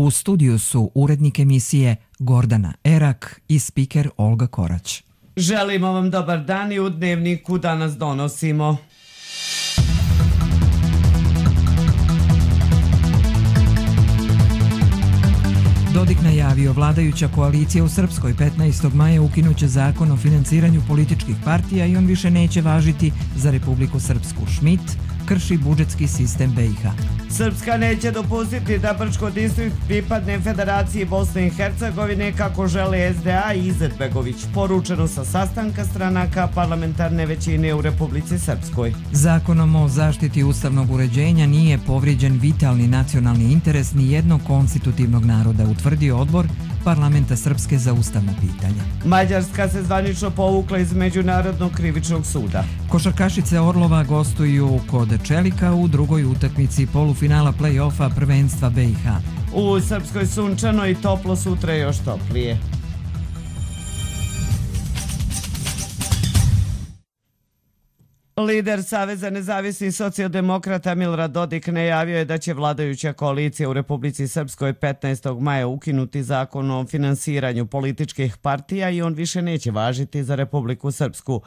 U studiju su urednik emisije Gordana Erak i spiker Olga Korać. Želimo vam dobar dan i u Dnevniku danas donosimo. Dodik najavio, vladajuća koalicija u Srpskoj 15. maja ukinuće zakon o finansiranju političkih partija i on više neće važiti za Republiku Srpsku. Schmidt krši budžetski sistem BiH. Srpska neće dopustiti da Brčko distrikt pripadne Federaciji Bosne i Hercegovine kako žele SDA i Izetbegović, poručeno sa sastanka stranaka parlamentarne većine u Republici Srpskoj. Zakonom o zaštiti ustavnog uređenja nije povrijeđen vitalni nacionalni interes ni jednog konstitutivnog naroda, utvrdio odbor Parlamenta Srpske za ustavna pitanja. Mađarska se zvanično povukla iz Međunarodnog krivičnog suda. Košarkašice Orlova gostuju kod Čelika u drugoj utakmici polufinala play-offa prvenstva BiH. U Srpskoj sunčano i toplo, sutra još toplije. Lider Saveza nezavisnih socijaldemokrata Milorad Dodik najavio je da će vladajuća koalicija u Republici Srpskoj 15. maja ukinuti zakon o finansiranju političkih partija i on više neće važiti za Republiku Srpsku.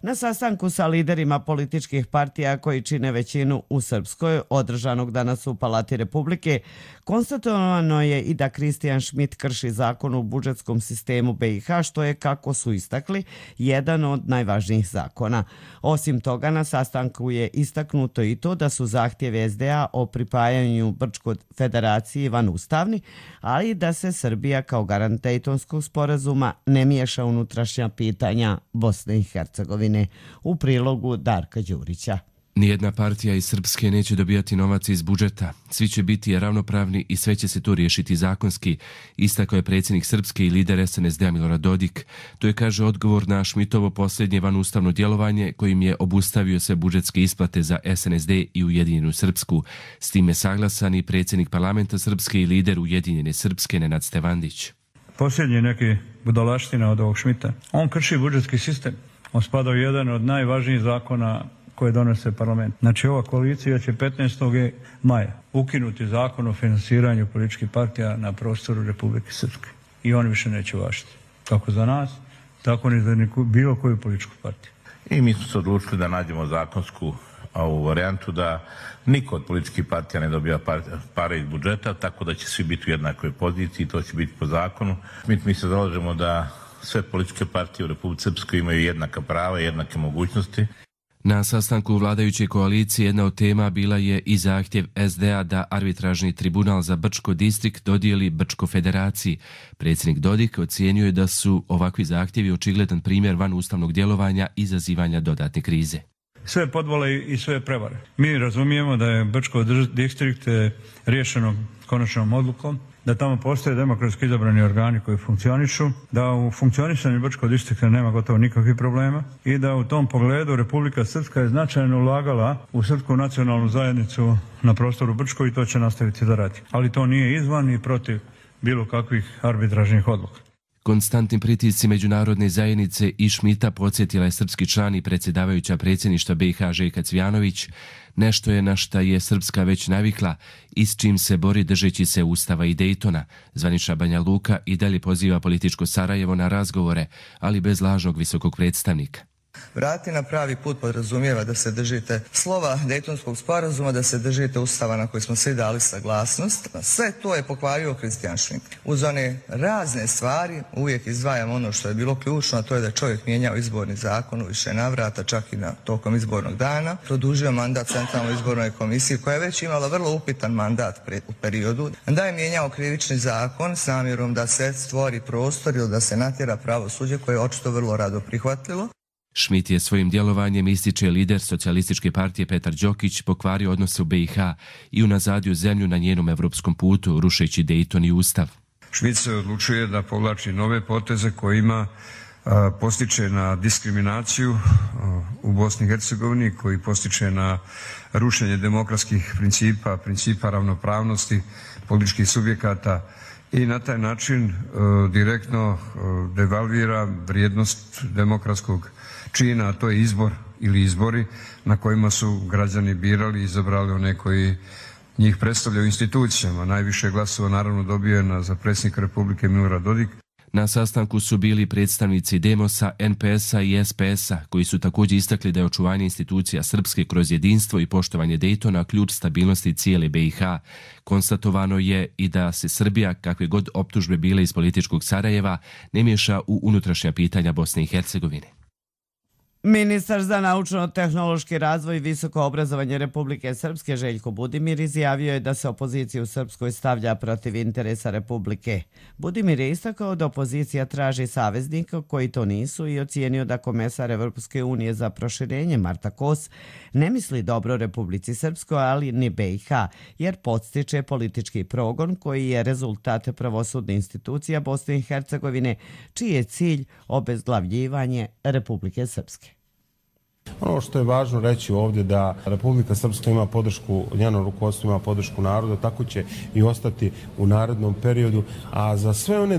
Na sastanku sa liderima političkih partija koji čine većinu u Srpskoj, održanog danas u Palati Republike, konstatovano je i da Kristijan Schmidt krši zakon u budžetskom sistemu BiH, što je, kako su istakli, jedan od najvažnijih zakona. Osim toga, na sastanku je istaknuto i to da su zahtjevi SDA o pripajanju Brčkoj federaciji vanustavni, ali da se Srbija kao garant Dejtonskog sporazuma ne miješa unutrašnja pitanja Bosne i Hercegovine. U prilogu Darka Đurića. Nijedna partija iz Srpske neće dobijati novac iz budžeta. Svi će biti ravnopravni i sve će se to riješiti zakonski, istakao je predsjednik Srpske i lider SNSD Milorad Dodik. To je, kaže, odgovor na Schmidtovo posljednje vanustavno djelovanje kojim je obustavio sve budžetske isplate za SNSD i Ujedinjenu Srpsku. S tim je saglasan i predsjednik Parlamenta Srpske i lider Ujedinjene Srpske Nenad Stevandić. Posljednji neki budalaština od ovog Schmidta. On krši budžetski sistem. On spada u jedan od najvažnijih zakona koje donose parlament. Znači, ova koalicija će 15. maja ukinuti zakon o finansiranju političkih partija na prostoru Republike Srpske. I on više neće važiti. Kako za nas, tako ni za bilo koju političku partiju. I mi smo se odlučili da nađemo zakonsku ovu varijantu da niko od političkih partija ne dobija pare iz budžeta, tako da će svi biti u jednakoj poziciji, to će biti po zakonu. Mi se zalažemo da sve političke partije u Republici Srpskoj imaju jednaka prava i jednake mogućnosti. Na sastanku vladajuće koalicije jedna od tema bila je i zahtjev SDA da arbitražni tribunal za Brčko distrikt dodijeli Brčko federaciji. Predsjednik Dodik ocijenio je da su ovakvi zahtjevi očigledan primjer vanustavnog djelovanja i izazivanja dodatne krize. Sve podvale i sve prevare. Mi razumijemo da je Brčko distrikt riješeno konačnom odlukom, da tamo postoje demokratski izabrani organi koji funkcionišu, da u funkcionisanju Brčkog distrikta nema gotovo nikakvih problema i da u tom pogledu Republika Srpska je značajno ulagala u srpsku nacionalnu zajednicu na prostoru Brčko i to će nastaviti da radi. Ali to nije izvan i protiv bilo kakvih arbitražnih odluka. Konstantnim pritisci međunarodne zajednice i Schmidta podsjetila je srpski član i predsjedavajuća predsjedništva BiH Željka Cvijanović. Nešto je na šta je Srpska već navikla i s čim se bori držeći se Ustava i Dejtona. Zvanična Banja Luka i dalje poziva političko Sarajevo na razgovore, ali bez lažnog visokog predstavnika. Vrati na pravi put podrazumijeva da se držite slova Dejtonskog sporazuma, da se držite Ustava na koji smo svi dali saglasnost. Sve to je pokvario Kristijan Schmidt. Uz one razne stvari uvijek izdvajam ono što je bilo ključno, a to je da čovjek mijenjao izborni zakon u više navrata, čak i na tokom izbornog dana. Produžio mandat Centralnoj izbornoj komisiji koja je već imala vrlo upitan mandat u periodu. Da je mijenjao krivični zakon s namjerom da se stvori prostor ili da se natjera pravosuđe koje je očito vrlo rado prihvatilo. Schmidt je svojim djelovanjem, ističe lider Socijalističke partije Petar Đokić, pokvario odnose u BiH i unazadio zemlju na njenom evropskom putu, rušeći Dejton i Ustav. Schmidt se odlučuje da povlači nove poteze kojima postiče na diskriminaciju u Bosni i Hercegovini, koji postiče na rušenje demokratskih principa ravnopravnosti političkih subjekata i na taj način direktno devalvira vrijednost demokratskog čina, a to je izbor ili izbori na kojima su građani birali i izabrali one koji njih predstavlja u institucijama. Najviše glasova naravno dobio je za predsjednika Republike Milorad Dodik. Na sastanku su bili predstavnici Demosa, NPS-a i SPS-a, koji su također istakli da je očuvanje institucija Srpske kroz jedinstvo i poštovanje Dejtona ključ stabilnosti cijele BiH. Konstatovano je i da se Srbija, kakve god optužbe bile iz političkog Sarajeva, ne miješa u unutrašnja pitanja Bosne i Hercegovine. Ministar za naučno-tehnološki razvoj i visoko obrazovanje Republike Srpske Željko Budimir izjavio je da se opozicija u Srpskoj stavlja protiv interesa Republike. Budimir je istakao da opozicija traži saveznika koji to nisu i ocijenio da komesar Evropske unije za proširenje Marta Kos ne misli dobro Republici Srpskoj, ali ni BiH, jer podstiče politički progon koji je rezultat pravosudne institucija Bosne i Hercegovine, čiji je cilj obezglavljivanje Republike Srpske. Ono što je važno reći ovdje da Republika Srpska ima podršku, njeno rukovodstvo ima podršku naroda, tako će i ostati u narednom periodu, a za sve one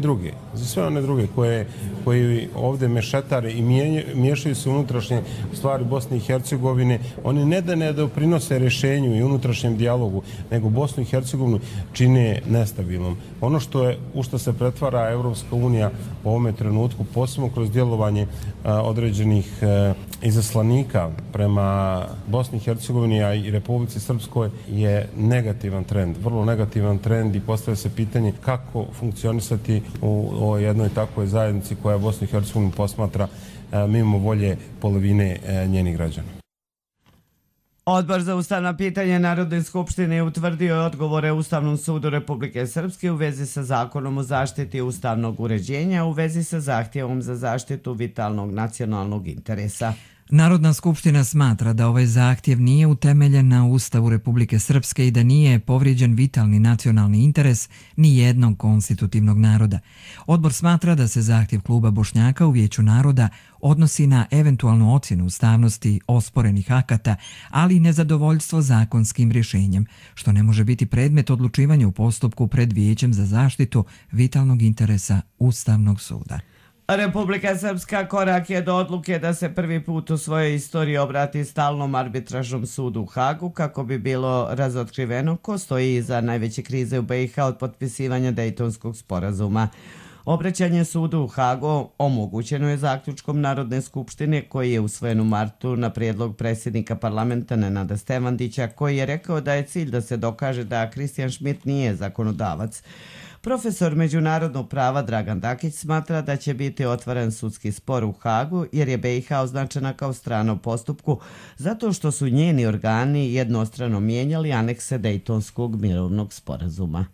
druge koji ovdje mešetare i miješaju se unutrašnje stvari Bosne i Hercegovine, oni ne da ne doprinose rješenju i unutrašnjem dijalogu, nego Bosnu i Hercegovinu čine nestabilnom. Ono u što se pretvara Evropska unija u ovome trenutku, posebno kroz djelovanje određenih izaslanika prema Bosni i Hercegovini, a i Republici Srpskoj, je negativan trend, vrlo negativan trend, i postavlja se pitanje kako funkcionisati u jednoj takvoj zajednici koja Bosnu i Hercegovinu posmatra mimo volje polovine njenih građana. Odbor za ustavna pitanja Narodne skupštine je utvrdio odgovore Ustavnom sudu Republike Srpske u vezi sa Zakonom o zaštiti ustavnog uređenja u vezi sa zahtjevom za zaštitu vitalnog nacionalnog interesa. Narodna skupština smatra da ovaj zahtjev nije utemeljen na Ustavu Republike Srpske i da nije povrijeđen vitalni nacionalni interes ni jednog konstitutivnog naroda. Odbor smatra da se zahtjev kluba Bošnjaka u Vijeću naroda odnosi na eventualnu ocjenu ustavnosti osporenih akata, ali i nezadovoljstvo zakonskim rješenjem, što ne može biti predmet odlučivanja u postupku pred Vijećem za zaštitu vitalnog interesa Ustavnog suda. Republika Srpska korak je do odluke da se prvi put u svojoj istoriji obrati stalnom arbitražnom sudu u Hagu kako bi bilo razotkriveno ko stoji iza najveće krize u BiH od potpisivanja Dejtonskog sporazuma. Obraćanje sudu u Hagu omogućeno je zaključkom Narodne skupštine koji je usvojen u martu na prijedlog predsjednika parlamenta Nenada Stevandića, koji je rekao da je cilj da se dokaže da Kristijan Šmit nije zakonodavac. Profesor međunarodnog prava Dragan Dakić smatra da će biti otvoren sudski spor u Hagu jer je BiH označena kao strana u postupku zato što su njeni organi jednostrano mijenjali anekse Dejtonskog mirovnog sporazuma.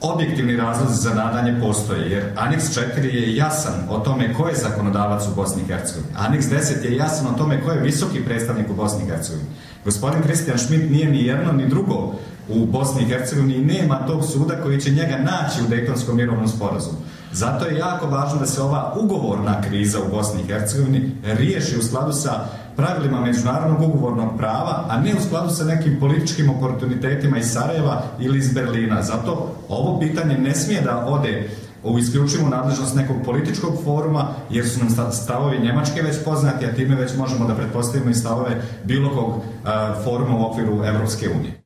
Objektivni razlozi za nadanje postoje, jer Aneks 4 je jasan o tome ko je zakonodavac u Bosni i Hercegovini. Aneks 10 je jasan o tome ko je visoki predstavnik u Bosni i Hercegovini. Gospodin Kristijan Šmit nije ni jedno ni drugo u Bosni i Hercegovini i nema tog suda koji će njega naći u Dejtonskom mirovnom sporazumu. Zato je jako važno da se ova ugovorna kriza u Bosni i Hercegovini riješi u skladu sa pravilima međunarodnog ugovornog prava, a ne u skladu sa nekim političkim oportunitetima iz Sarajeva ili iz Berlina. Zato ovo pitanje ne smije da ode u isključivu nadležnost nekog političkog foruma, jer su nam stavovi Njemačke već poznati, a time već možemo da pretpostavimo i stavove bilo kog foruma u okviru Evropske unije.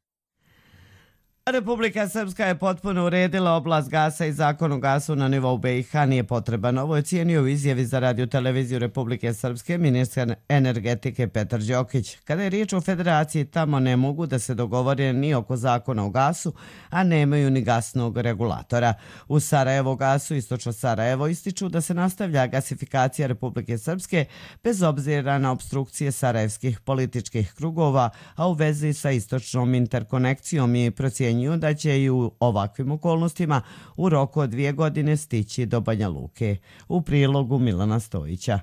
Republika Srpska je potpuno uredila oblast gasa i zakon o gasu na nivou BiH nije potreban. Ovo je cijenio u izjavi za radioteleviziju Republike Srpske ministar energetike Petar Đokić. Kada je riječ o federaciji, tamo ne mogu da se dogovore ni oko zakona o gasu, a nemaju ni gasnog regulatora. U Sarajevo gasu, istočno Sarajevo, ističu da se nastavlja gasifikacija Republike Srpske bez obzira na obstrukcije sarajevskih političkih krugova, a u vezi sa istočnom interkonekcijom i procjenju da će i u ovakvim okolnostima u roku od 2 godine stići do Banja Luke. U prilogu Milana Stojića.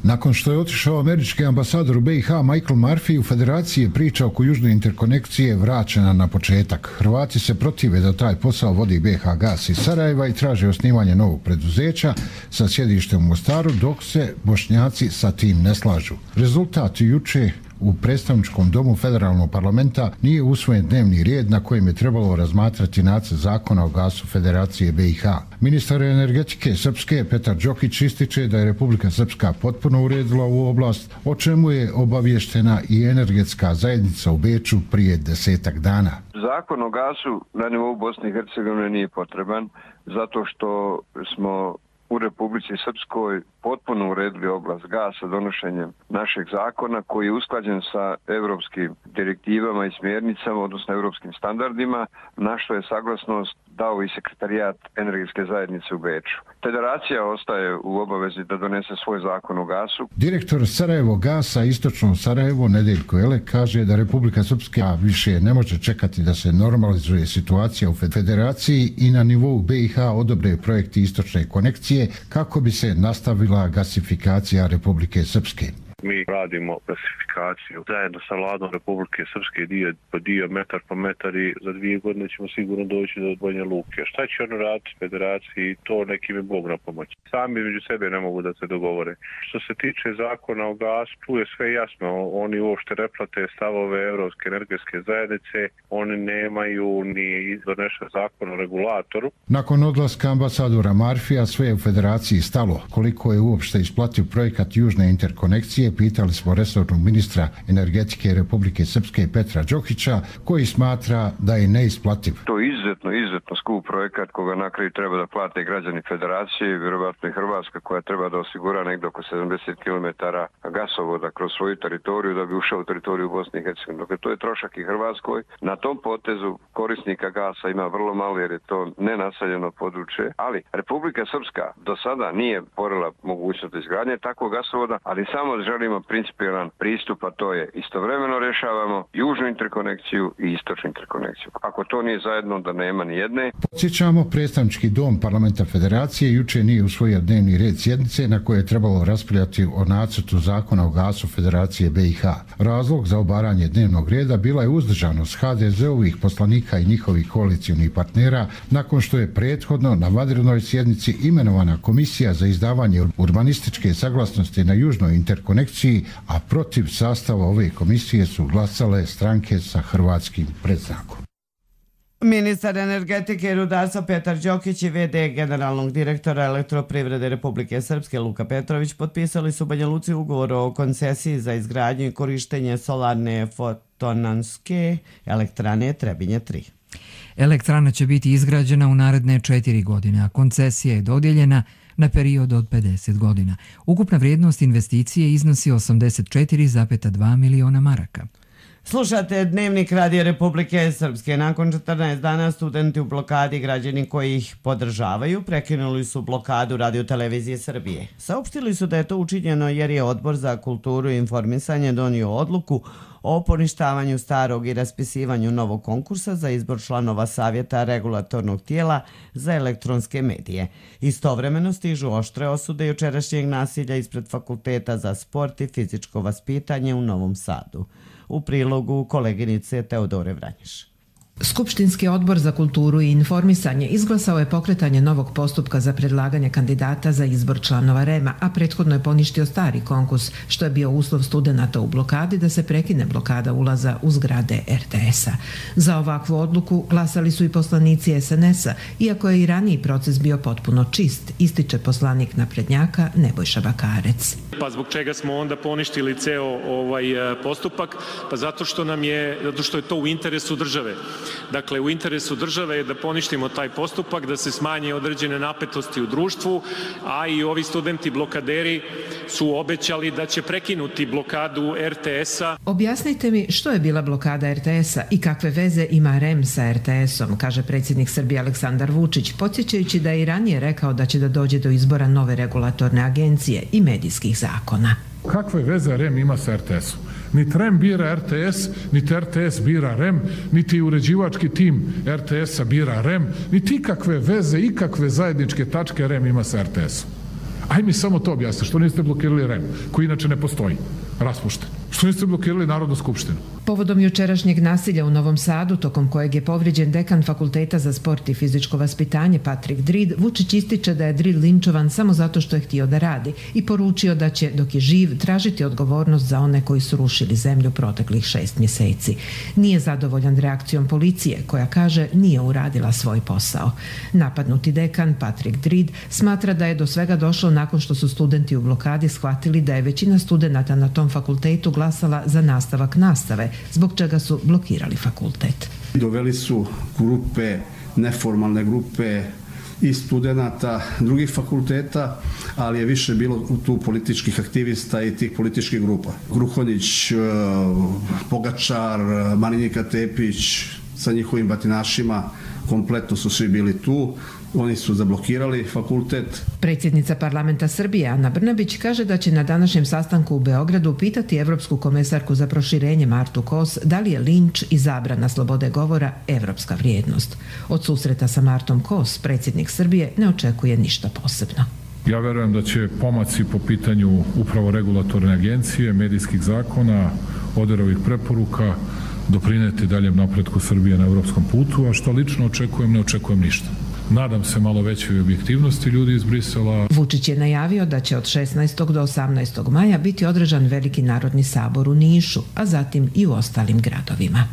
Nakon što je otišao američki ambasador u BiH Michael Murphy, u federaciji je priča oko južne interkonekcije vraćena na početak. Hrvati se protive da taj posao vodi BiH gas iz Sarajeva i traže osnivanje novog preduzeća sa sjedištem u Mostaru, dok se Bošnjaci sa tim ne slažu. Rezultat juče u predstavničkom domu federalnog parlamenta nije usvojen dnevni red na kojem je trebalo razmatrati nacrt zakona o gasu Federacije BiH. Ministar energetike Srpske Petar Đokić ističe da je Republika Srpska potpuno uredila ovu oblast, o čemu je obavještena i energetska zajednica u Beču prije 10 dana. Zakon o gasu na nivou Bosne i Hercegovine nije potreban zato što smo u Republici Srpskoj potpuno uredili oblast gasa donošenjem našeg zakona koji je usklađen sa europskim direktivama i smjernicama, odnosno europskim standardima, na što je saglasnost dao i sekretarijat energetske zajednice u Beču. Federacija ostaje u obavezi da donese svoj zakon o gasu. Direktor Sarajevo gasa Istočno Sarajevo Nedeljko Elek kaže da Republika Srpska više ne može čekati da se normalizuje situacija u Federaciji i na nivou BiH odobre projekti istočne konekcije kako bi se nastavila gasifikacija Republike Srpske. Mi radimo gasifikaciju zajedno sa vladom Republike Srpske dio po dio, metar po metar i za 2 godine ćemo sigurno doći do Banja Luke. Šta će ono raditi Federaciji, to nekim je Bog na pomoć. Sami među sebe ne mogu da se dogovore. Što se tiče zakona o gasu, tu je sve jasno. Oni uopšte ne prate stavove Europske energetske zajednice, oni nemaju ni donešen zakon o regulatoru. Nakon odlaska ambasadora Marfija sve je u Federaciji stalo. Koliko je uopšte isplativ projekat Južne interkonekcije, pitali smo resornog ministra energetike Republike Srpske Petra Đokića, koji smatra da je neisplativ. To je izuzetno skup projekat koga na kraju treba da plate građani Federacije, vjerovatno i Hrvatska koja treba da osigura negdje oko 70 km gasovoda kroz svoju teritoriju da bi ušao u teritoriju Bosne i Hercegovine. Dakle, to je trošak i Hrvatskoj. Na tom potezu korisnika gasa ima vrlo malo jer je to nenaseljeno područje, ali Republika Srpska do sada nije porila mogućnost izgradnje takvog gasovoda, ali samo želimo principijelan pristup, a to je istovremeno rješavamo južnu interkonekciju i istočnu interkonekciju. Ako to nije zajedno, da nema ni jedne. Podsjećamo, predstavnički dom parlamenta Federacije juče nije usvojio dnevni red sjednice na koje je trebalo raspravljati o nacrtu zakona o gasu Federacije BiH. Razlog za obaranje dnevnog reda bila je uzdržanost HDZ-ovih poslanika i njihovih koalicijnih partnera nakon što je prethodno na vanrednoj sjednici imenovana komisija za izdavanje urbanističke saglasnosti na južnoj interkonekciji, a protiv sastava ove komisije su glasale stranke sa hrvatskim predznakom. Ministar energetike i rudarstva Petar Đokić i v.d. generalnog direktora Elektroprivrede Republike Srpske Luka Petrović potpisali su u Banja Luci ugovor o koncesiji za izgradnju i korištenje solarne fotonanske elektrane Trebinje 3. Elektrana će biti izgrađena u naredne 4 godine, a koncesija je dodijeljena na period od 50 godina. Ukupna vrijednost investicije iznosi 84,2 miliona maraka. Slušate Dnevnik Radio Republike Srpske. Nakon 14 dana studenti u blokadi, građani koji ih podržavaju, prekinuli su blokadu Radio-televizije Srbije. Saopštili su da je to učinjeno jer je Odbor za kulturu i informisanje donio odluku o poništavanju starog i raspisivanju novog konkursa za izbor članova Savjeta regulatornog tijela za elektronske medije. Istovremeno stižu oštre osude jučerašnjeg nasilja ispred Fakulteta za sport i fizičko vaspitanje u Novom Sadu. U prilogu koleginice Teodore Vranješ. Skupštinski odbor za kulturu i informisanje izglasao je pokretanje novog postupka za predlaganje kandidata za izbor članova REM-a, a prethodno je poništio stari konkurs, što je bio uslov studenata u blokadi da se prekine blokada ulaza u zgrade RTS-a. Za ovakvu odluku glasali su i poslanici SNS-a, iako je i raniji proces bio potpuno čist, ističe poslanik naprednjaka Nebojša Bakarec. Pa zbog čega smo onda poništili ceo ovaj postupak? Pa zato što je to u interesu države. Dakle, u interesu države je da poništimo taj postupak, da se smanje određene napetosti u društvu, a i ovi studenti blokaderi su obećali da će prekinuti blokadu RTS-a. Objasnite mi što je bila blokada RTS-a i kakve veze ima REM sa RTS-om, kaže predsjednik Srbije Aleksandar Vučić, podsjećajući da je i ranije rekao da će da dođe do izbora nove regulatorne agencije i medijskih zakona. Kakve veze REM ima sa RTS-om? Niti REM bira RTS, niti RTS bira REM, niti uređivački tim RTS-a bira REM, niti ikakve veze, ikakve zajedničke tačke REM ima sa RTS-om. Aj mi samo to objasni, što niste blokirali REM, koji inače ne postoji, raspušten. Što niste blokirali Narodnu skupštinu? Povodom jučerašnjeg nasilja u Novom Sadu, tokom kojeg je povrijeđen dekan Fakulteta za sport i fizičko vaspitanje Patrik Drid, Vučić ističe da je Drid linčovan samo zato što je htio da radi i poručio da će, dok je živ, tražiti odgovornost za one koji su rušili zemlju proteklih 6 mjeseci. Nije zadovoljan reakcijom policije, koja kaže nije uradila svoj posao. Napadnuti dekan Patrik Drid smatra da je do svega došlo nakon što su studenti u blokadi shvatili da je većina studenata na tom fakultetu glasala za nastavak nastave, zbog čega su blokirali fakultet. Doveli su grupe, neformalne grupe i studenata drugih fakulteta, ali je više bilo tu političkih aktivista i tih političkih grupa. Gruhonjić, Pogačar, Marinika Tepić sa njihovim batinašima, kompletno su svi bili tu. Oni su zablokirali fakultet. Predsjednica parlamenta Srbije Ana Brnabić kaže da će na današnjem sastanku u Beogradu pitati evropsku komesarku za proširenje Martu Kos da li je linč i zabrana slobode govora evropska vrijednost. Od susreta sa Martom Kos predsjednik Srbije ne očekuje ništa posebno. Ja verujem da će pomaci po pitanju upravo regulatorne agencije, medijskih zakona, ODIHR-ovih preporuka doprineti daljem napretku Srbije na evropskom putu, a što lično očekujem, ne očekujem ništa. Nadam se malo većoj objektivnosti ljudi iz Brisela. Vučić je najavio da će od 16. do 18. maja biti održan Veliki narodni sabor u Nišu, a zatim i u ostalim gradovima.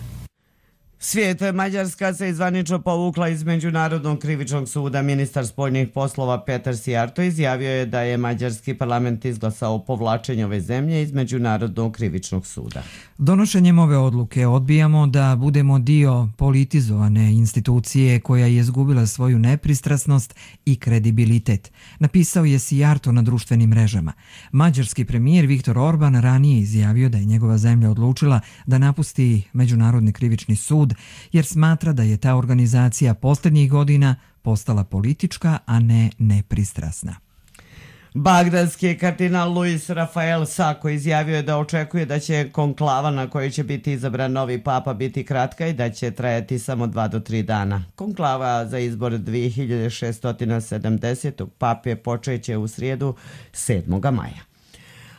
Svijet Mađarska se zvanično povukla iz Međunarodnog krivičnog suda. Ministar spoljnih poslova Petar Sijarto izjavio je da je mađarski parlament izglasao povlačenje ove zemlje iz Međunarodnog krivičnog suda. Donošenjem ove odluke odbijamo da budemo dio politizovane institucije koja je izgubila svoju nepristrasnost i kredibilitet, napisao je Sijarto na društvenim mrežama. Mađarski premijer Viktor Orban ranije izjavio da je njegova zemlja odlučila da napusti Međunarodni krivični sud jer smatra da je ta organizacija posljednjih godina postala politička, a ne nepristrasna. Bagdadski kardinal Luis Rafael Sako izjavio je da očekuje da će konklava na kojoj će biti izabran novi papa biti kratka i da će trajati samo 2 do 3 dana. Konklava za izbor 2670. pape počeće u srijedu 7. maja.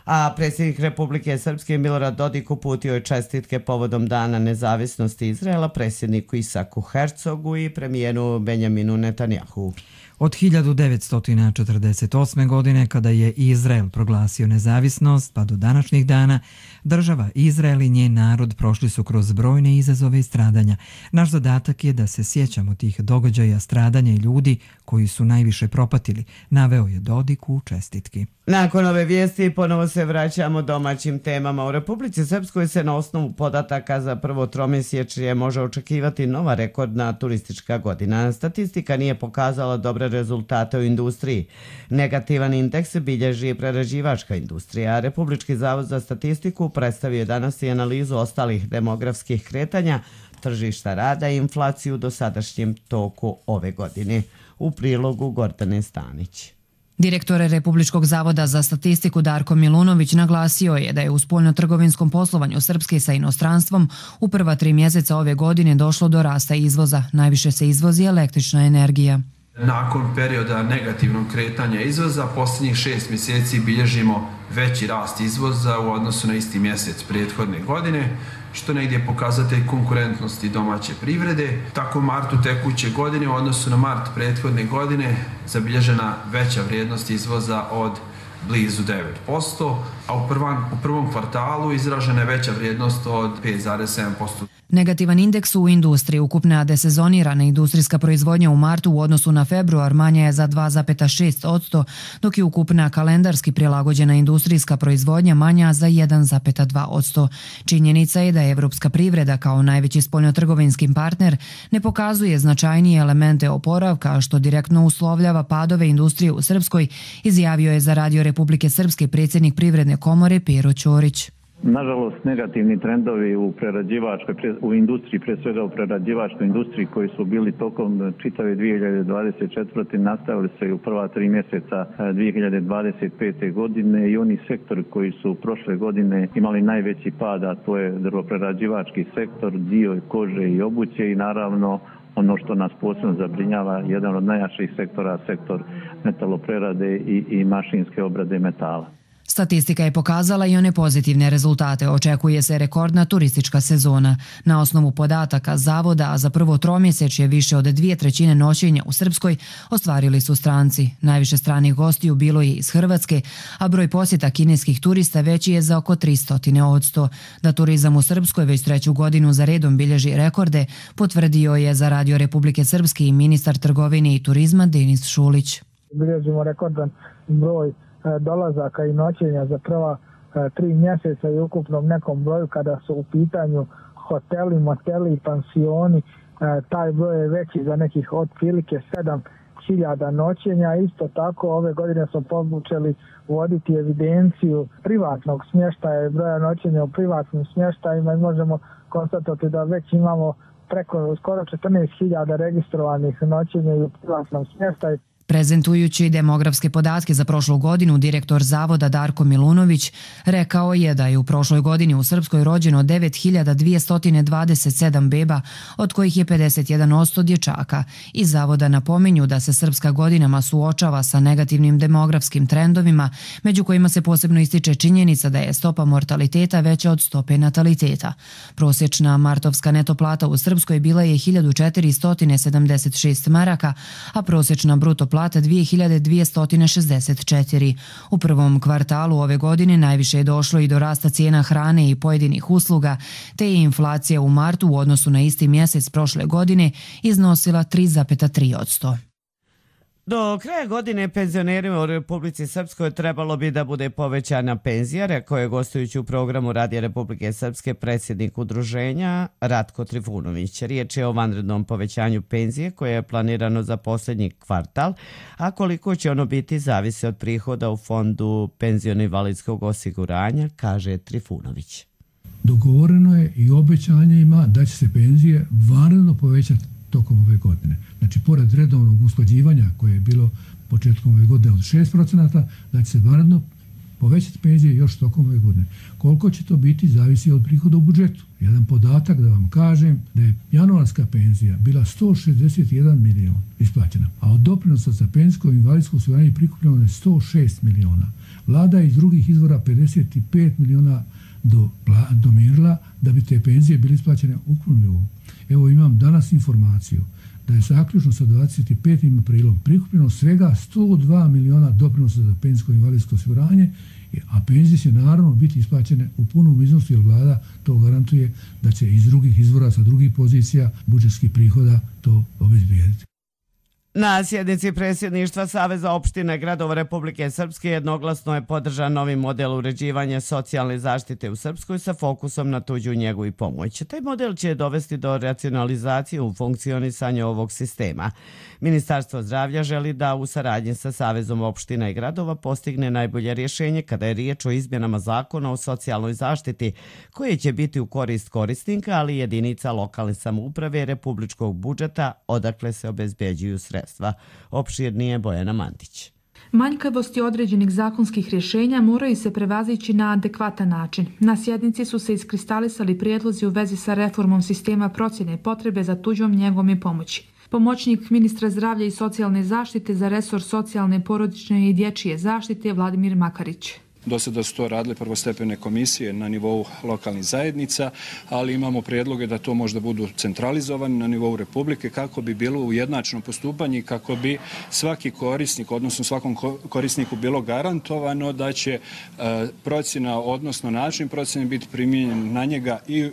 A predsjednik Republike Srpske Milorad Dodik uputio je čestitke povodom Dana nezavisnosti Izraela predsjedniku Isaku Hercogu i premijeru Benjaminu Netanjahu. Od 1948. godine, kada je Izrael proglasio nezavisnost, pa do današnjih dana, država Izrael i njen narod prošli su kroz brojne izazove i stradanja. Naš zadatak je da se sjećamo tih događaja, stradanja i ljudi koji su najviše propatili, naveo je Dodik u čestitki. Nakon ove vijesti ponovo se vraćamo domaćim temama. U Republici Srpskoj se na osnovu podataka za prvo tromjesečje može očekivati nova rekordna turistička godina. Statistika nije pokazala dobre rezultate u industriji. Negativan indeks bilježi prerađivačka industrija. Republički zavod za statistiku predstavio je danas i analizu ostalih demografskih kretanja, tržišta rada i inflaciju u dosadašnjem toku ove godine. U prilogu Gordane Stanić. Direktor Republičkog zavoda za statistiku Darko Milunović naglasio je da je u spoljno-trgovinskom poslovanju Srpske sa inostranstvom u prva 3 mjeseca ove godine došlo do rasta izvoza. Najviše se izvozi električna energija. Nakon perioda negativnog kretanja izvoza, posljednjih 6 mjeseci bilježimo veći rast izvoza u odnosu na isti mjesec prethodne godine, što negdje je pokazatelj konkurentnosti domaće privrede. Tako u martu tekuće godine u odnosu na mart prethodne godine zabilježena veća vrijednost izvoza od blizu 9%, a u prvom kvartalu izražena je veća vrijednost od 5,7%. Negativan indeks u industriji, ukupna desezonirana industrijska proizvodnja u martu u odnosu na februar manja je za 2,6%, dok je ukupna kalendarski prilagođena industrijska proizvodnja manja za 1,2%. Činjenica je da evropska privreda kao najveći spoljnotrgovinski partner ne pokazuje značajnije elemente oporavka, što direktno uslovljava padove industrije u Srpskoj, izjavio je za Radio Republike Srpske predsjednik Privredne komore Pero Ćorić. Nažalost, negativni trendovi u industriji, pre svega u prerađivačkoj industriji koji su bili tokom čitave 2024. nastavili se i u prva 3 mjeseca 2025. godine i oni sektori koji su prošle godine imali najveći pad, a to je drvoprerađivački sektor, dio kože i obuće i naravno ono što nas posebno zabrinjava, jedan od najjačih sektora, sektor metaloprerade i mašinske obrade metala. Statistika je pokazala i one pozitivne rezultate. Očekuje se rekordna turistička sezona. Na osnovu podataka Zavoda, a za prvo tromjesečje više od 2/3 noćenja u Srpskoj ostvarili su stranci. Najviše stranih gostiju bilo je iz Hrvatske, a broj posjeta kineskih turista veći je za oko 300%. Da turizam u Srpskoj već 3. godinu za redom bilježi rekorde, potvrdio je za Radio Republike Srpske i ministar trgovine i turizma Denis Šulić. Bilježimo rekordan broj dolazaka i noćenja za prva 3 mjeseca i ukupnom nekom broju kada su u pitanju hoteli, moteli i pansioni. Taj broj je veći za nekih otprilike 7.000 noćenja. Isto tako ove godine smo počeli voditi evidenciju privatnog smještaja i broja noćenja u privatnim smještajima i možemo konstatovati da već imamo preko skoro 14.000 registrovanih noćenja i u privatnom smještaju. Prezentujući demografske podatke za prošlu godinu, direktor Zavoda Darko Milunović rekao je da je u prošloj godini u Srpskoj rođeno 9.227 beba, od kojih je 51% dječaka. Iz Zavoda napominju da se Srpska godinama suočava sa negativnim demografskim trendovima, među kojima se posebno ističe činjenica da je stopa mortaliteta veća od stope nataliteta. Prosječna martovska neto plata u Srpskoj bila je 1.476 maraka, a prosječna bruto plata 2.264. U prvom kvartalu ove godine najviše je došlo i do rasta cijena hrane i pojedinih usluga, te je inflacija u martu u odnosu na isti mjesec prošle godine iznosila 3,3%. Do kraja godine penzionerima u Republici Srpskoj trebalo bi da bude povećana penzija, rekao je gostujući u programu Radija Republike Srpske predsjednik udruženja Ratko Trifunović. Riječ je o vanrednom povećanju penzije koje je planirano za posljednji kvartal, a koliko će ono biti zavisi od prihoda u fondu penziono-invalidskog osiguranja, kaže Trifunović. Dogovoreno je i obećanje ima da će se penzije vanredno povećati tokom ove godine. Znači, pored redovnog usklađivanja koje je bilo početkom ove godine od 6%, da će se vanredno povećati penzije još tokom ove godine. Koliko će to biti, zavisi od prihoda u budžetu. Jedan podatak da vam kažem da je januarska penzija bila 161 milion isplaćena, a od doprinosa za penzijsko i invalidsko osiguranje prikupljeno je 106 miliona. Vlada je iz drugih izvora 55 miliona domirila da bi te penzije bile isplaćene ukupnom nivou. Evo imam danas informaciju da je zaključno sa 25. aprilom prikupljeno svega 102 miliona doprinosa za penzijsko i invalidsko osiguranje, a penzije će naravno biti isplaćene u punom iznosu jer vlada to garantuje da će iz drugih izvora sa drugih pozicija budžetskih prihoda to obezbijediti. Na sjednici predsjedništva Saveza opština i gradova Republike Srpske jednoglasno je podržan novi model uređivanja socijalne zaštite u Srpskoj sa fokusom na tuđu njegu i pomoć. Taj model će dovesti do racionalizacije u funkcionisanju ovog sistema. Ministarstvo zdravlja želi da u saradnji sa Savezom opština i gradova postigne najbolje rješenje kada je riječ o izmjenama zakona o socijalnoj zaštiti, koje će biti u korist korisnika, ali i jedinica lokalne samouprave i republičkog budžeta, odakle se obezbeđuju sredstva. Opširnije Bojana Mantić. Manjkavosti određenih zakonskih rješenja moraju se prevazići na adekvatan način. Na sjednici su se iskristalisali prijedlozi u vezi sa reformom sistema procjene potrebe za tuđom njegom i pomoći. Pomoćnik ministra zdravlja i socijalne zaštite za resor socijalne, porodične i dječje zaštite Vladimir Makarić. Do sada su to radile prvostepene komisije na nivou lokalnih zajednica, ali imamo prijedloge da to možda budu centralizovani na nivou Republike kako bi bilo ujednačeno postupanje i kako bi svaki korisnik, odnosno svakom korisniku bilo garantovano da će procjena, odnosno način procjene biti primijenjen na njega i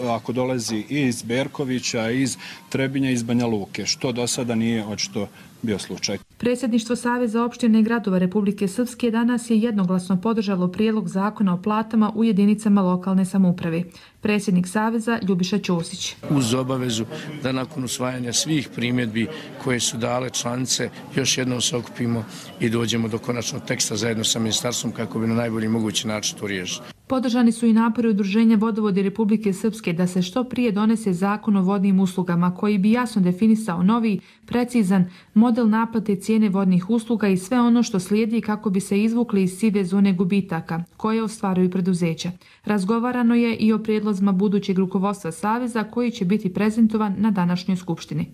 ako dolazi iz Berkovića, iz Trebinja, iz Banja Luke, što do sada nije očito bio slučaj. Predsjedništvo Saveza opština i gradova Republike Srpske danas je jednoglasno podržalo prijedlog zakona o platama u jedinicama lokalne samouprave. Predsjednik Saveza Ljubiša Ćosić. Uz obavezu da nakon usvajanja svih primjedbi koje su dale članice još jednom se okupimo i dođemo do konačnog teksta zajedno sa ministarstvom kako bi na najbolji mogući način to riješili. Podržani su i napori Udruženja vodovodi Republike Srpske da se što prije donese zakon o vodnim uslugama koji bi jasno definisao novi, precizan model naplate cijene vodnih usluga i sve ono što slijedi kako bi se izvukli iz sive zone gubitaka koje ostvaruju preduzeća. Razgovarano je i o prijedlozima budućeg rukovodstva Saveza koji će biti prezentovan na današnjoj skupštini.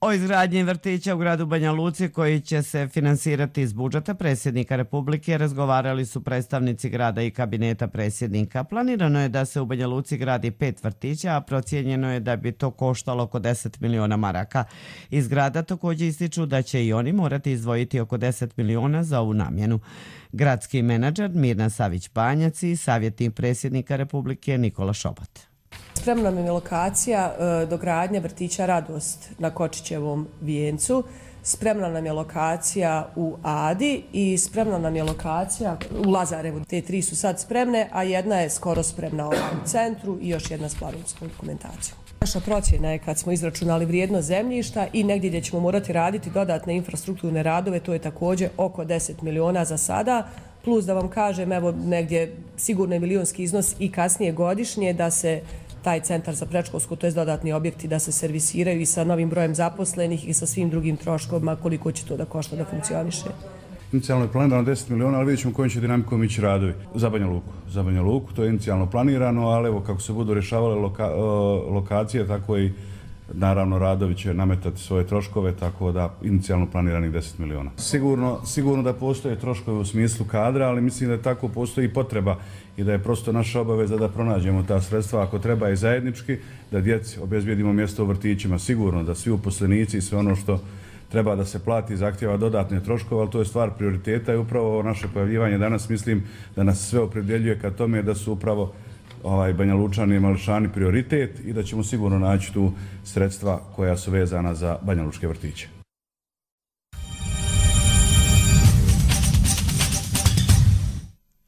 O izgradnji vrtića u gradu Banja Luci koji će se finansirati iz budžeta predsjednika Republike razgovarali su predstavnici grada i kabineta predsjednika. Planirano je da se u Banja Luci gradi 5 vrtića, a procijenjeno je da bi to koštalo oko 10 miliona maraka. Iz grada također ističu da će i oni morati izdvojiti oko 10 miliona za ovu namjenu. Gradski menadžer Mirna Savić-Banjac i savjetnik predsjednika Republike Nikola Šobat. Spremna nam je lokacija dogradnje vrtića Radost na Kočićevom vijencu, spremna nam je lokacija u Adi i spremna nam je lokacija u Lazarevu. Te 3 su sad spremne, a jedna je skoro spremna u centru i još jedna s planomskom dokumentacijom. Naša procjena je kad smo izračunali vrijednost zemljišta i negdje gdje ćemo morati raditi dodatne infrastrukturne radove, to je također oko 10 miliona za sada, plus da vam kažem, evo negdje sigurno je milionski iznos i kasnije godišnje da se taj centar za predškolsko, to je dodatni objekti da se servisiraju i sa novim brojem zaposlenih i sa svim drugim troškovima koliko će to da košta da funkcioniše. Inicijalno je planirano 10 miliona, ali vidjet ćemo kojim će dinamikom ići radovi za Banja Luku. Za Banja Luku to je inicijalno planirano, ali evo kako se budu rješavale lokacije, tako i naravno radovi će nametati svoje troškove, tako da inicijalno planiranih 10 miliona. Sigurno da postoje troškovi u smislu kadra, ali mislim da tako postoji i potreba i da je prosto naša obaveza da pronađemo ta sredstva, ako treba i zajednički, da djeci obezbijedimo mjesto u vrtićima. Sigurno da svi uposlenici i sve ono što treba da se plati zahtjeva dodatne troškove, ali to je stvar prioriteta i upravo naše pojavljivanje danas mislim da nas sve opredjeljuje ka tome da su upravo Banja Lučani i Mališani prioritet i da ćemo sigurno naći tu sredstva koja su vezana za Banja Lučke vrtiće.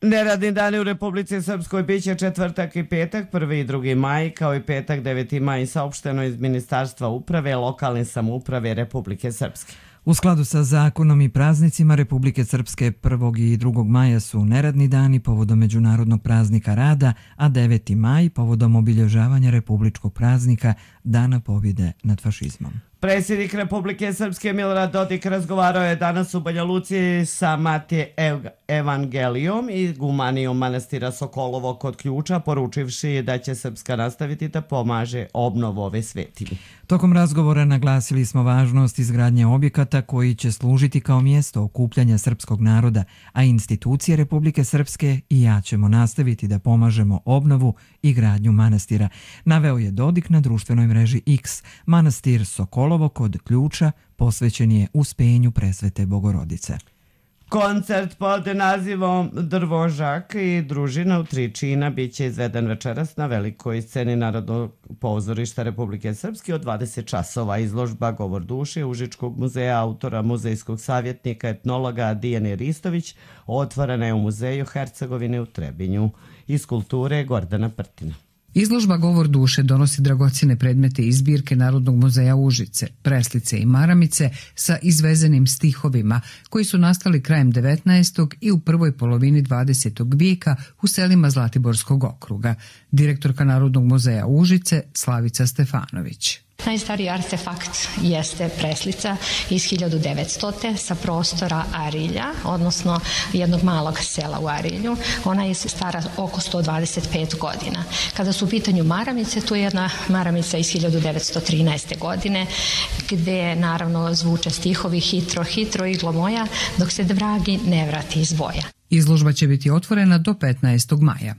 Neradni dani u Republici Srpskoj biće četvrtak i petak, 1. i 2. maj, kao i petak 9. maj, saopšteno iz Ministarstva uprave, lokalne samouprave Republike Srpske. U skladu sa zakonom i praznicima Republike Srpske 1. i 2. maja su neradni dani povodom Međunarodnog praznika rada, a 9. maj povodom obilježavanja republičkog praznika Dana pobjede nad fašizmom. Predsjednik Republike Srpske Milorad Dodik razgovarao je danas u Banja Luci sa Matije Evangelijom i gumanijom manastira Sokolovo kod Ključa, poručivši da će Srpska nastaviti da pomaže obnovu ove svetinje. Tokom razgovora naglasili smo važnost izgradnje objekata koji će služiti kao mjesto okupljanja srpskog naroda, a institucije Republike Srpske i ja ćemo nastaviti da pomažemo obnovu i gradnju manastira. Naveo je Dodik na društvenoj mreži X. Manastir Sokolovo kod Ključa posvećen je uspenju Presvete Bogorodice. Koncert pod nazivom Drvožak i družina u tri čina biće izveden večeras na velikoj sceni Narodnog pozorišta Republike Srpske od 20 časova. Izložba Govor duše Užičkog muzeja autora muzejskog savjetnika etnologa Dijane Ristović otvorena je u muzeju Hercegovine u Trebinju. Iz kulture Gordana Prtina. Izložba Govor duše donosi dragocjene predmete iz zbirke Narodnog muzeja Užice, preslice i maramice sa izvezenim stihovima koji su nastali krajem 19. i u prvoj polovini 20. vijeka u selima Zlatiborskog okruga. Direktorka Narodnog muzeja Užice Slavica Stefanović. Najstariji artefakt jeste preslica iz 1900. sa prostora Arilja, odnosno jednog malog sela u Arilju. Ona je stara oko 125 godina. Kada su u pitanju maramice, tu je jedna maramica iz 1913. godine, gde naravno zvuče stihovi hitro, hitro, iglo moja, dok se vragi ne vrati iz boja. Izložba će biti otvorena do 15. maja.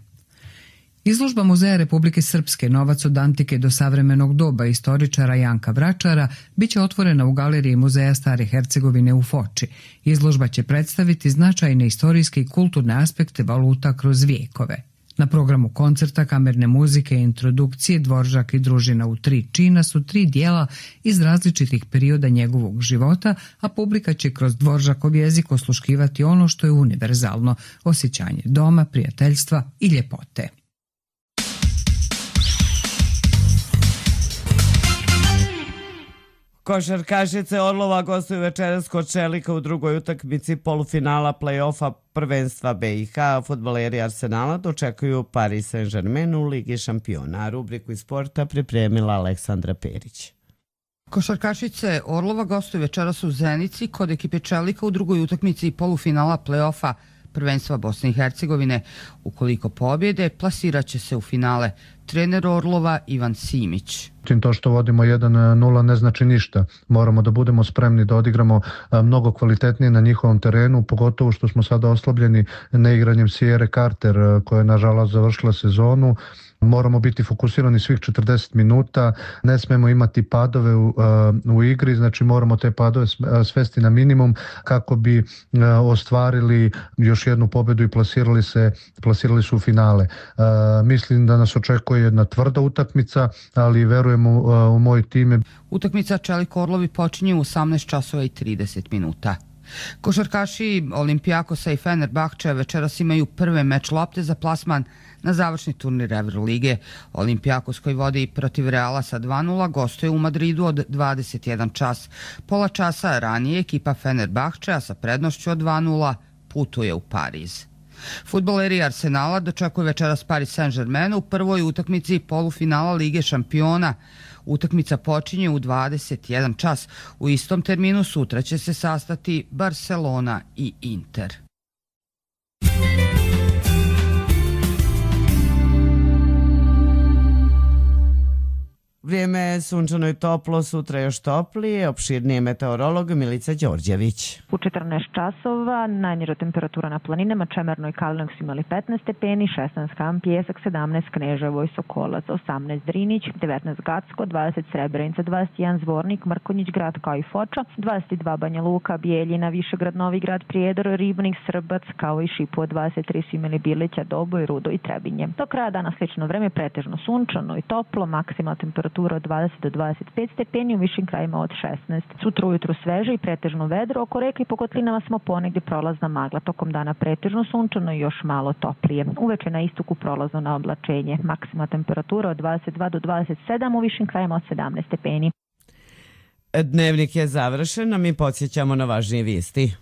Izložba Muzeja Republike Srpske Novac od antike do savremenog doba istoričara Janka Vračara biće otvorena u galeriji Muzeja Stare Hercegovine u Foči. Izložba će predstaviti značajne istorijske i kulturne aspekte valuta kroz vijekove. Na programu koncerta, kamerne muzike i introdukcije Dvoržak i družina u tri čina su 3 dijela iz različitih perioda njegovog života, a publika će kroz Dvoržakov jezik osluškivati ono što je univerzalno, osjećanje doma, prijateljstva i ljepote. Košarkašice Orlova gostuju večeras kod Čelika u drugoj utakmici polufinala play-offa prvenstva BiH. Fudbaleri Arsenala dočekuju Paris Saint-Germain u Ligi šampiona. Rubriku iz sporta pripremila Aleksandra Perić. Košarkašice Orlova gostuju večeras u Zenici kod ekipe Čelika u drugoj utakmici polufinala play-offa prvenstva Bosne i Hercegovine. Ukoliko pobjede, plasirat će se u finale trener Orlova Ivan Simić. To što vodimo 1-0 ne znači ništa. Moramo da budemo spremni da odigramo mnogo kvalitetnije na njihovom terenu, pogotovo što smo sada oslabljeni neigranjem Sierre Carter, koja je nažalost završila sezonu. Moramo biti fokusirani svih 40 minuta, ne smemo imati padove u igri, znači moramo te padove svesti na minimum kako bi ostvarili još jednu pobjedu i plasirali su u finale. Mislim da nas očekuje jedna tvrda utakmica, ali verujem u moj tim. Utakmica Čelik Orlovi počinje u 18 časova i 30 minuta. Košarkaši Olimpijakosa i Fenerbahčeja večeras imaju prve meč lopte za plasman na završni turnir Evrolige. Olimpijakos koji vodi protiv Reala sa 2-0 gostuje u Madridu od 21 čas. Pola časa ranije ekipa Fenerbahčeja sa prednošću od 2-0 putuje u Pariz. Fudbaleri Arsenala dočekuju večeras Paris Saint-Germain u prvoj utakmici polufinala Lige šampiona. Utakmica počinje u 21 čas. U istom terminu sutra će se sastati Barcelona i Inter. Vrijeme je sunčano i toplo, sutra još toplije, opširnije meteorolog Milica Đorđević. U 14 časova najniža temperatura na planinama Čemerno i Kalinoks imali 15 stepeni, 16 Kam Pijesak, 17 Kneževo i Sokolac, 18 Drinić, 19 Gacko, 20 Srebrenica, 21 Zvornik, Mrkonjić grad kao i Foča, 22 Banja Luka, Bijeljina, Višegrad, Novigrad, Prijedor, Ribnik, Srbac kao i Šipovo, 23 su imali Bilića, Doboj, Rudo i Trebinje. Do kraja dana slično vreme pretežno sunčano i toplo, maksimalna temperatura od 20 do 25 stepeni, u višim krajima od 16. Sutra ujutru sveže i pretežno vedro, oko reke i po kotlinama smo ponegdje prolazna magla, tokom dana pretežno sunčano i još malo toplije. Uveče na istoku prolazno na oblačenje, maksimalna temperatura od 22 do 27, u višim krajima od 17 stepeni. Dnevnik je završen, a mi podsjećamo na važnije vijesti.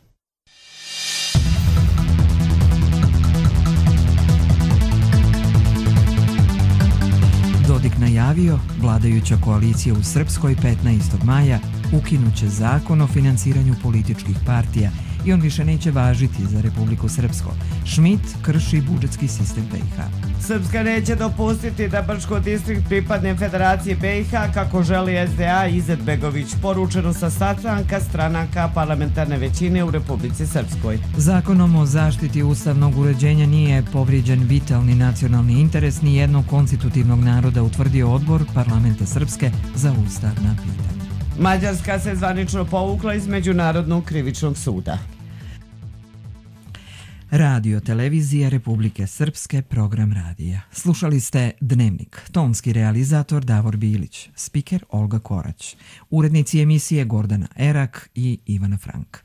Dodik najavio, vladajuća koalicija u Srpskoj 15. maja ukinuće zakon o finansiranju političkih partija i on više neće važiti za Republiku Srpsko. Schmidt krši budžetski sistem BiH. Srpska neće dopustiti da Brčko distrikt pripadne Federaciji BiH kako želi SDA i Izetbegović, poručeno sa sastanka stranaka parlamentarne većine u Republici Srpskoj. Zakonom o zaštiti ustavnog uređenja nije povrijeđen vitalni nacionalni interes ni jednog konstitutivnog naroda, utvrdio odbor Parlamenta Srpske za ustavna pitanja. Mađarska se zvanično povukla iz Međunarodnog krivičnog suda. Radio televizija Republike Srpske, program radija. Slušali ste Dnevnik, tonski realizator Davor Bilić, spiker Olga Korać, urednici emisije Gordana Erak i Ivana Frank.